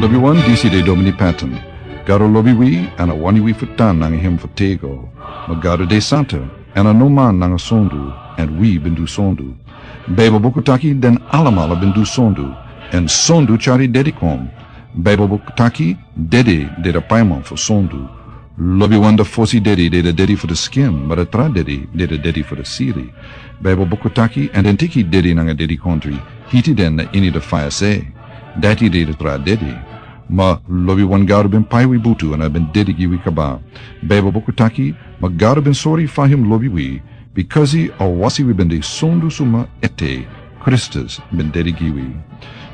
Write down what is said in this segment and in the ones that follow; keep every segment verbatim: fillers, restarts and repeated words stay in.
Lobiwan, disi de Domini Patton. Gado lobi wi, èn a wani wi fu tan nanga hem fu tego. Ma Gado de santa, èn a no man nanga sondu, èn wi ben du sondu. Baibel buku taki den alamala ben du sondu, èn sondu tyari dedi kon. Baibel buku taki dedi de a paiman fu sondu. Lobiwan, a fosi dedi de a dedi fu a skin, ma a tra dedi de a dedi fu a sili. Baibel buku taki, èn den teki dedi nanga dedikondre, hiti den na ini a faya se. Dati de a tra dedi. Ma lobiwan, Gado ben pai wi butu èn a ben dedi gi wi kaba. Baibel buku taki, ma Gado ben sori fa hem lobi wi, bikasi a wasi wi ben de sondu suma ete, Kristus ben dedi gi wi.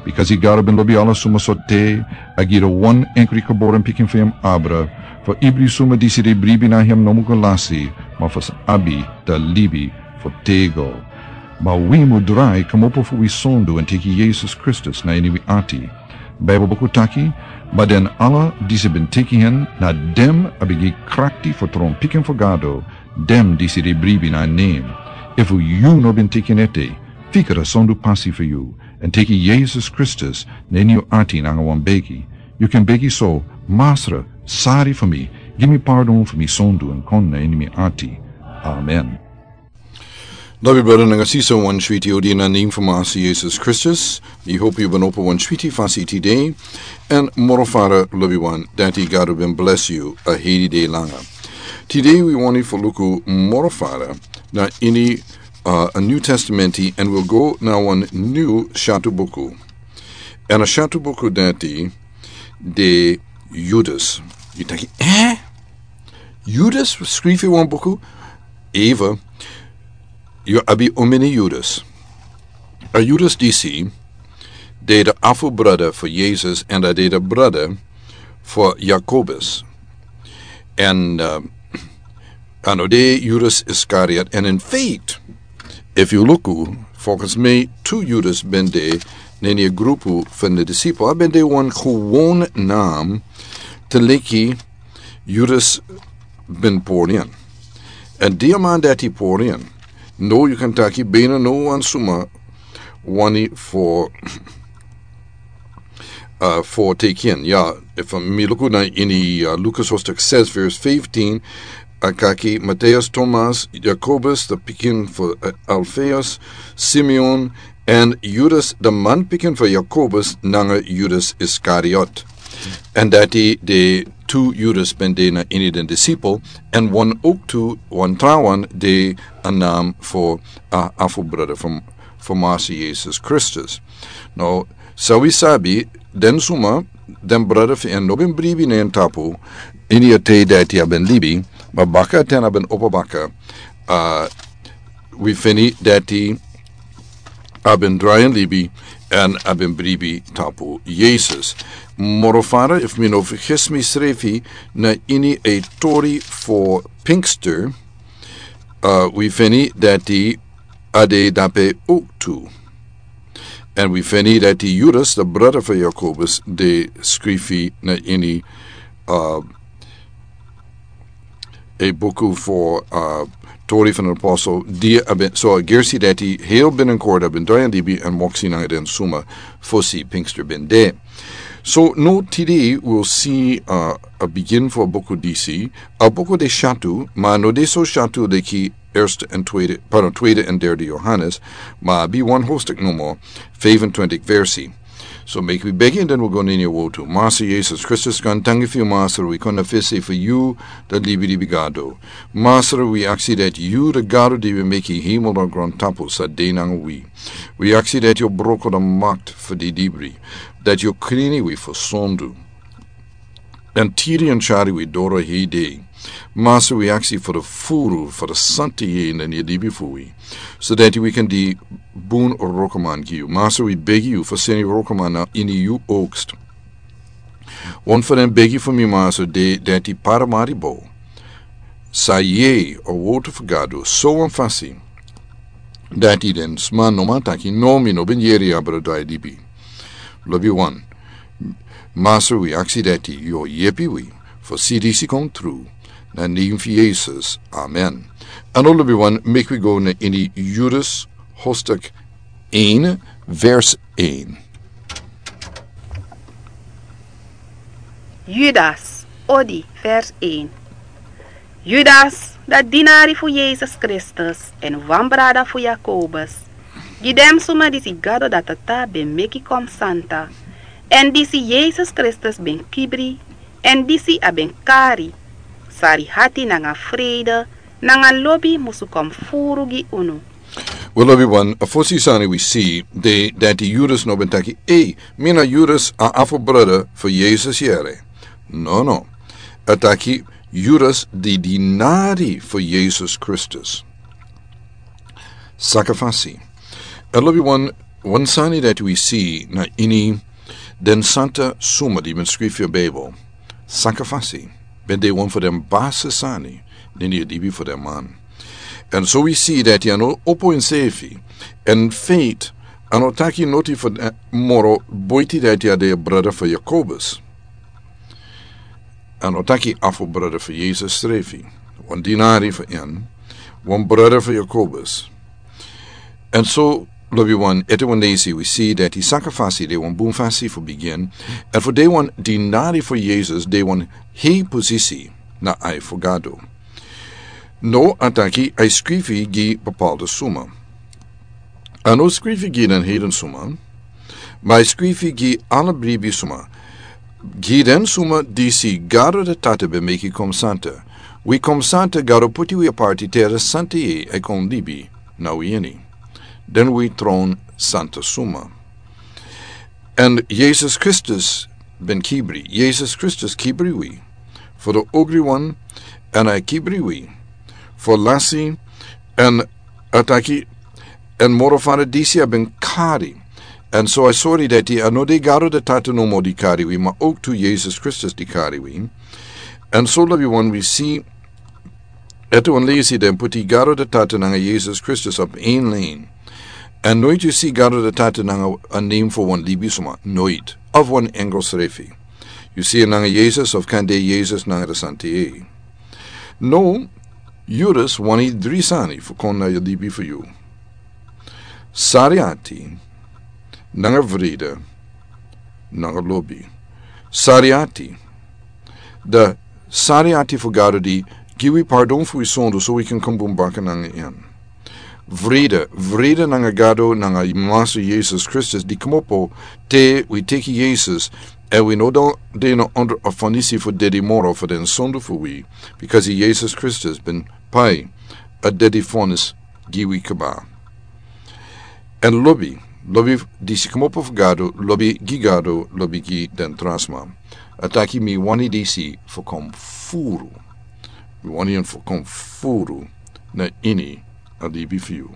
Bikasi Gado ben lobi ala suma so te, a gi a wan enkri geboren pikin fu hem abra, fu ibri suma disi de bribi na hem no mu go lasi, ma fu sa abi a libi fu tego. Ma wi mu drai kmopo fu wi sondu èn teki Yesus Kristus na ini wi ati. Baibel buku taki, ma den ala disi ben teki hen, na den a ben gi krakti fu tron pikin fu Gado, den disi de bribi na nen. Efu yu no ben teki en ete, fika a sondu pasi fu yu, èn teki Yesus Kristus na ini yu ati nanga wan begi. Yu kan begi so: Masra, sori fu mi, gi mi pardon fu mi sondu èn kon na ini mi ati. Amen. Lobi brada nanga sisa, wan switi odi na nen fu Masra Yesus Kristus. Mi hopi yu ben opo wan switi fasi tide. Èn moro fara, lobiwan, dati Gado ben bless yu a heri dei langa. Tide wi wani fu luku moro fara na ini, uh, a New Testament, èn wi go na wan new syatu buku. Èn a syatu buku dati de Judas. Yu taki, eh? Judas skrifi wan buku? Eva, yu abi omeni Judas. A Judas disi de a afu brada fu Yesus, èn a de a brada fu Jakobus. Èn, uh, a no de Judas Iskariot. Èn in feite, efu yu luku, volgens mi tu Judas ben de na ini a grupu fu a disipel. A ben de wan gewoon nam, te leki Judas ben pori in. Èn di a man dati pori in, no, yu kan taki bina no wan suma wani fu, uh, fu teki en. Ya, efu mi luku na ini, uh, Lukas hoofdstuk zes vers vijftien, a kaki Mateus, Thomas, Jakobus, a pikin fu, uh, Alfeus, Simeon, èn Judas, a manpikin fu Jakobus, nanga Judas Iskariot. Èn dati de tu Judas ben de na ini den disipel, èn wan owktu, wan trawan de a nam fu, uh, afu brada fu, fu Masra Yesus Kristus. Now, san wi sabi, den suma, den brada fu en no ben bribi na en tapu ini a tide dati a ben libi, ma baka ten a ben opo baka, uh, wi feni dati a ben drai ini libi, èn a ben bribi tapu Yesus. Moro fara, efu mi no fergis misrefi, na ini a tori fu Pinkster, uh, wi feni dati a de dape owktu. Èn wi feni dati Judas, a brada fu Jakobus, de skrifi na ini, uh, a buku fu, uh, Tori fu den Apostel, di a ben, so a gersi dati hel bini kort a ben drai ini libi èn moksi nanga den suma fosi Pinkster ben de. So now tide wi si, uh, a bigin fu a buku disi, a buku de syatu, ma no de so syatu leki Eerste en Tweede, pardon, Tweede en Derde Johannes, ma a ben wan hoofdstuk nomo, vijfentwintig versi. So meki wi begi èn den wi go na ini a wotu. Masra Yesus Kristus, gaantangi fu yu, Masra, wi kon na fesi fu yu, a libilibi Gado. Masra, wi aksi dati yu, a Gado di wi meki hemel nanga grontapu, sa de nanga wi. Wi aksi dati yu o broko a makti fu didibri, dati yu o krini wi fu sondu. Èn tiri èn tyari wi doro hei dei. Masra, wi aksi fu a furu, fu a santa yeye na ini a libi fu wi, so dati wi kan de bun wroko man gi yu. Masra, wi begi yu fu seni wroko man na ini yu oogst. Wan fu den begi fu mi, Masra, de dati paramari bo, sa yere a wotu fu Gado, so wan fasi dati den sma no man taki: No, mi no ben yere yu abra drai libi. Lobiwan, Masra, wi aksi dati yu o yepi wi fu si disi kon tru, na nen fu Yesus. Amen. Èn now, lobiwan, meki wi go na ini Judas hoofdstuk één, vers één. Judas, odi, vers een. Judas, dati dinari fu Yesus Kristus èn wan brada fu Jakobus, gi den suma disi Gado da Tata ben meki kon santa, èn disi Yesus Kristus ben kibri, èn disi a ben kari, sari hati nanga freide nanga lobi musu kon furu gi unu. We lobi wan, a fosi sani wi si de dati Judas no ben taki: "Ei, mi na Judas, a afo brada fu Yesus yere." No, no. A taki Judas di dinari fu Yesus Kristus. Saka fasi. A lobi wan, wan sani dati wi si na ini den santa suma di ben skrifi a Bijbel. Saka fasi ben de wan fu den basi sani den di a dibi fu den man. Èn so wi si dati a no opo ensefi. Èn feit, a no taki noti fu den moro boiti dati a de a brada fu Jakobus. A no taki afo brada fu Yesus srefi. Wan dinari fu en, wan brada fu Jakobus. Èn so, lobi wan, ete wan leisi wi si dati saka fasi de wan bun fasi fu bigin, èn fu de wan dinari fu Yesus de wan hei posisi na ai fu Gado. No, a taki ai skrifi gi bepaalde suma. A no skrifi gi den heiden suma, ma ai skrifi gi ala bribi suma. Gi den suma disi Gado da Tata ben meki kon santa. Wi kon santa, Gado puti wi aparti te a santa yeye e kon libi na wi ini. Den wi tron santa suma. Èn Yesus Kristus ben kibri. Yesus Kristus kibri wi fu den ogri wan, èn a kibri wi fu lasi, èn a taki, èn moro fara disi a ben kari. Èn so a sori dati a no de Gado da Tata nomo di kari wi, ma ook tu Yesus Kristus di kari wi. Èn so lobi wan wi si, ete wan leisi den puti Gado da Tata nanga Yesus Kristus op een lijn. Èn noiti yu si Gado da Tata nanga a nen fu wan libisma, noiti, of wan engel srefi. Yu si en nanga Yesus of kan de Yesus nanga da santa yeye. No, Judas wani dri sani fu kon na yu libi fu yu. Sari ati, nanga vrede, nanga lobi. Sari ati. Da sari ati fu Gado di gi wi pardon fu wi sondu so wi kan kon bun baka nanga en. Vrede, vrede nanga Gado, nanga Masra Yesus Kristus di kmopo te wi teki Yesus, èn wi no de na ondro a fonisi fu dedi moro fu den sondu fu wi, bikasi Yesus Kristus ben pai a dedi fonis gi wi kaba. Èn lobi, lobi disi kmopo fu Gado, lobi gi Gado, lobi gi den tra sma. A taki mi wani disi fu kon furu. Mi wani en fu kon furu na ini a libi fu yu.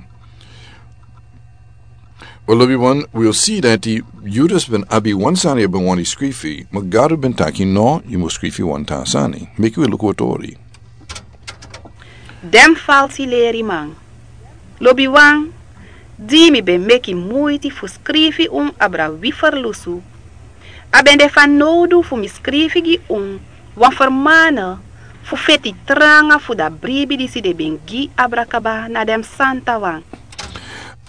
Wel, lobi wan, wi o si dati Judas ben abi wan sani a ben wani skrifi, ma Gado ben taki no, yu mus skrifi wan tra sani. Meki wi luku a tori. Den falsi leriman. Lobi wan, di mi ben meki muiti fu skrifi un abra wi ferlusu, a ben de fanowdu fu mi skrifi gi un wan fermana fu feti tranga fu da bribi disi den ben gi abra kaba na den santawan.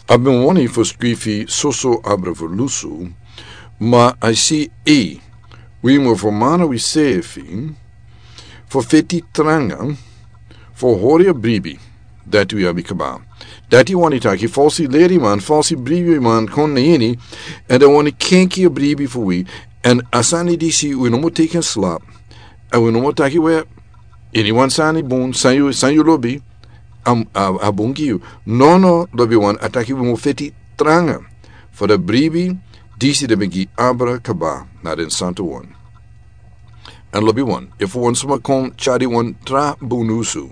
A ben wani fu skrifi soso abra ferlusu, ma a si ei, wi mus fermana wi sefi fu feti tranga fu hori a bribi dati wi abi kaba. Dati wani taki falsi leriman, falsi bribiman kon na ini, èn den wani kenki a bribi fu wi, èn a sani disi wi no mus teki en slap, èn wi no mus taki we, iniwan sani bun, san yu, san yu lobi, a, a, a bun gi yu. No, no, lobi wan, a taki wi mus feti tranga fu da bribi disi den ben gi abra kaba na den santawan. Èn lobi wan, efu wan suma kon tyari wan tra bun nyunsu,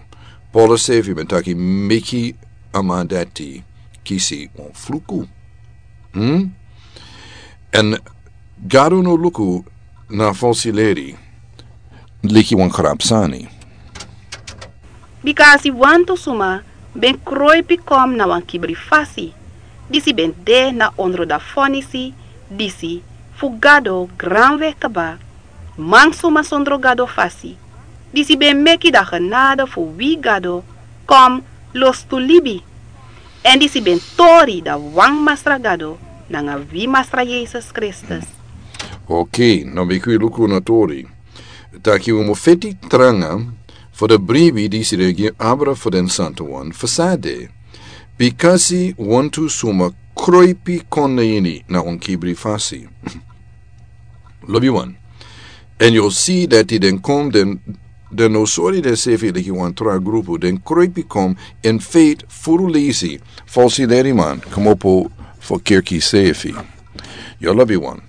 Paulus sefi ben taki meki a man dati kisi wan fluku. Hmm? Èn Gado no luku na falsi leri leki wan krabsani. Bikasi wantu suma ben kroipi kon na wan kibri fasi, disi ben de na ondro da fonisi disi fu Gado granwe kaba, mansuma sondro Gado fasi, disi ben meki da genade fu wi Gado kon lostu libi, èn disi ben tori da wan Masra Gado nanga wi Masra Yesus Kristus. Okei, now meki wi luku na tori. Taki un mu feti tranga fu den bribi disi den gi abra fu den santu wan fu sade. Bikasi wantu suma kroipi kon na ini na un kibri fasi. Lobi wan. Èn yu o si dati den kon den, den no sori densefi leki wan tra grupu, den kroipi kon in feit furu lesi, falsi leriman, komopo fu kerki sefi. Yu lobi wan.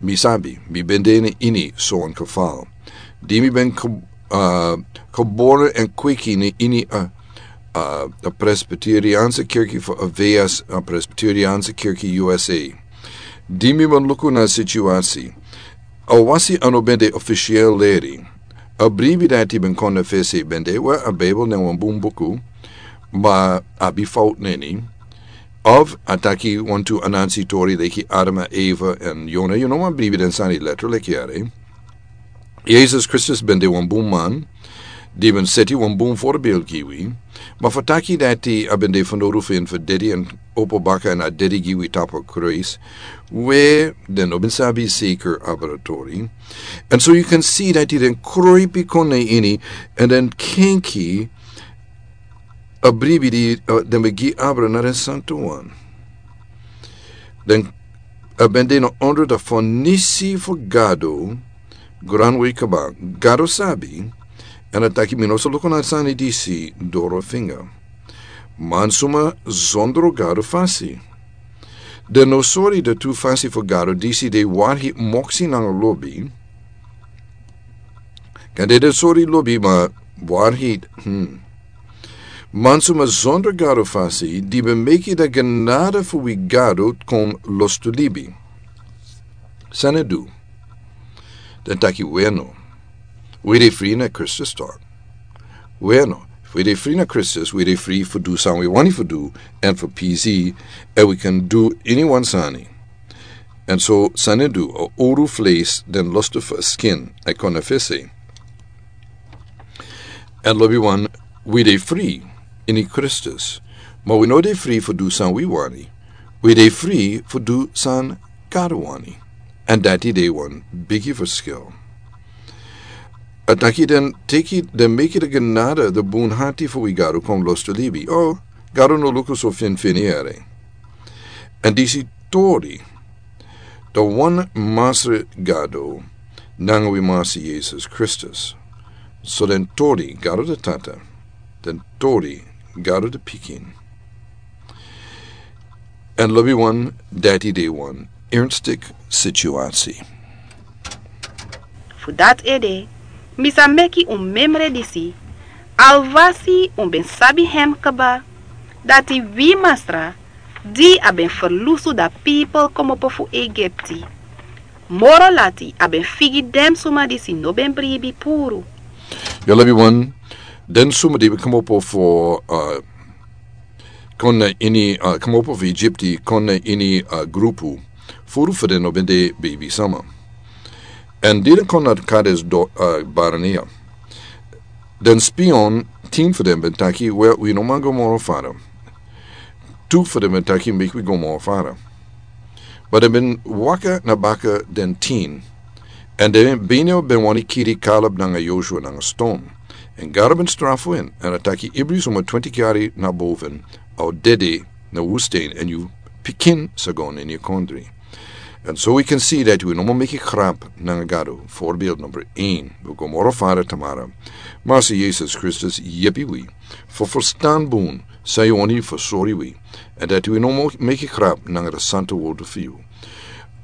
Mi sabi, mi ben de na ini so wan kafal. Di mi ben ko-, ah, koboro èn kweki na ini a, ah, a Presbyterianse kerki fu a V S, a Presbyterianse kerki U S A. Di mi ben luku na situasi. A wasi a no ben de ofisiel leri. A bribi dati ben kon na fesi ben de, we a Bijbel na wan bun buku. Ma a abi fout na ini. Of a taki wantu anansi tori leki Adam, Eva, èn Yona. Yu no man bribi den sani letra leki yari. Yesus Kristus ben de wan bun man, di ben seti wan bun voorbeeld gi wi. Ma fu taki dati a ben de fanowdu fu en fu dedi èn opo baka èn a dedi gi wi tapu Christ. We den no ben sabi zeker abra tori. And so you can see dati den kroipi kon na ini, èn den kenki a bribi di, uh, den ben gi abra na den santu wan. Den a ben de na onder de fonisi fu Gado, granwei kaba, Gado sabi, èn a taki mi no sa luku na sani disi doro finga. Mansuma zondro Gado fasi. Den no sori de tu fasi fu Gado disi de warhi moksi nanga lobi. Kan de den sori lobi ma warhi, hmm. Mansuma zonder Gado fasi, di ben meki de genade fu wi Gado kon lostu libi. San a du? Den taki weno. Wi de fri na Kristus tok. Weno, fu wi de fri na Kristus, wi de fri fu du san wi wani fu du, èn fu pisi, èn wi kan du ini wan sani. Èn so san a du, a oru fleis den lostu fu a skin, a kon na fesi. Èn lobi wan, wi de fri ini Kristus. Ma wi no de fri fu du san wi wani. Wi de fri fu du san Gado wani. Èn dati de wan bigi ferskil. A taki den teki, den meki de genade, de bun hati fu wi Gado kon lostu libi. O, Gado no luku so finfin yere. Èn disi tori, de wan Masra Gado, nanga wi Masra Yesus Kristus. So den tori Gado de Tata, den tori Gado de Pikin. Èn lobi wan, dati de wan ernstig situasi. Fu dati ede, mi sa meki un memre disi, alwasi un ben sabi hem kaba, dati wi Masra, di a ben ferlusu da pipel komopo fu Egipti. Moro lati a ben figi den suma disi no ben bribi puru. Yu lobi wan, den suma di ben komopo fu, uh, kon na ini, uh, komopo fu Egipti, kon na ini, uh, grupu, furu fu den no ben de beibi sama. Èn di den kon na Kades do, uh, Barnea. Den spion, tin fu den ben taki, we, wi no man go moro fara. Tu fu den ben taki, meki wi go moro fara. Ma den ben waka na baka den tin. Èn den ben, ben wani kiri Kaleb nanga Joshua nanga ston. Èn Gado ben strafu en, èn a taki ibri suma twenti yari na boven, a o dede na wustin, èn yu pikin sa go na ini a kondre. Èn so wi kan si dati wi no man meki grap nanga Gado, voorbeeld number een. Wi go moro fara tamara. Masra Yesus Kristus yepi wi fu ferstan bun san yu wani fu sori wi. Èn dati wi no man meki grap nanga de santa wordu fu yu.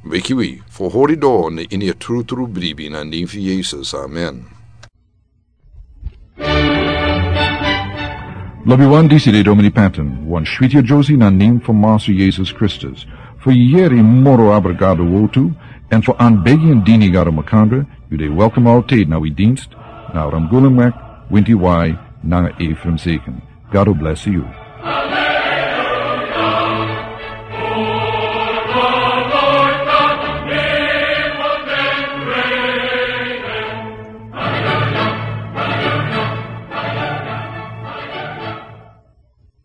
Meki wi fu hori doro na ini a trutru bribi na nen fu Yesus. Amen. Lobi wan, disi de Domini Patton, wan switi a Josie na nen fu Masra Yesus Kristus. Fu yeri moro abra Gado wortu, èn fu anbegi èn dini Gado makandra, yu de welkom altid na wi dinst, na Ramgulumwek, Winti Wai, nanga Ephraim Zeken. Gado blesi yu.